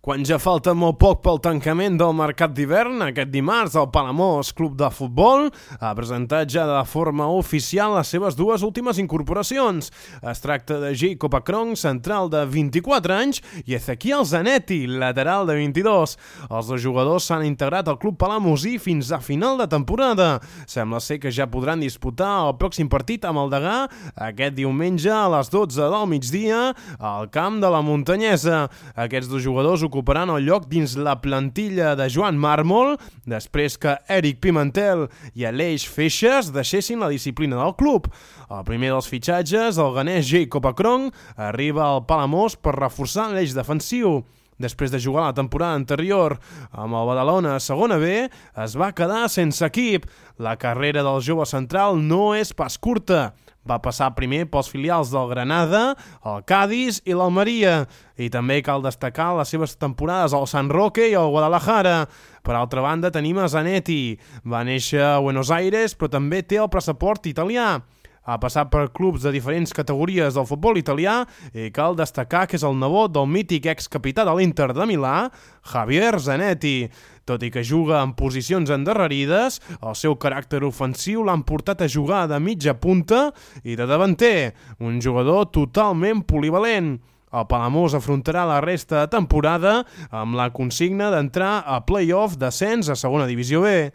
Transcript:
Quan ja falta molt poc pel tancament del mercat d'hivern, aquest dimarts el Palamós Club de Futbol ha presentat ja de forma oficial les seves dues últimes incorporacions. Es tracta de Jacob Akron, central de 24 anys, i Ezequiel Zanetti, lateral de 22. Els dos jugadors s'han integrat al club palamosí fins a final de temporada. Sembla ser que ja podran disputar el pròxim partit amb el Degà aquest diumenge a les 12 del migdia al camp de la Muntanyesa. Aquests dos jugadors ocuparan el lloc dins la plantilla de Joan Mármol després que Eric Pimentel i Aleix Feixes deixessin la disciplina del club. El primer dels fitxatges, el ganès Jacob Akron, arriba al Palamós per reforçar l'eix defensiu. Després de jugar la temporada anterior amb el Badalona a segona B, es va quedar sense equip. La carrera del jove central no és pas curta. Va passar primer pels filials del Granada, el Cádiz i l'Almeria. I també cal destacar les seves temporades al San Roque i al Guadalajara. Per altra banda, tenim a Zanetti. Va néixer a Buenos Aires, però també té el passaport italià. Ha passat per clubs de diferents categories del futbol italià i cal destacar que és el nebot del mític excapità de l'Inter de Milà, Javier Zanetti. Tot i que juga en posicions endarrerides, el seu caràcter ofensiu l'han portat a jugar de mitja punta i de davanter, un jugador totalment polivalent. El Palamós afrontarà la resta de temporada amb la consigna d'entrar a play-off d'ascens a segona divisió B.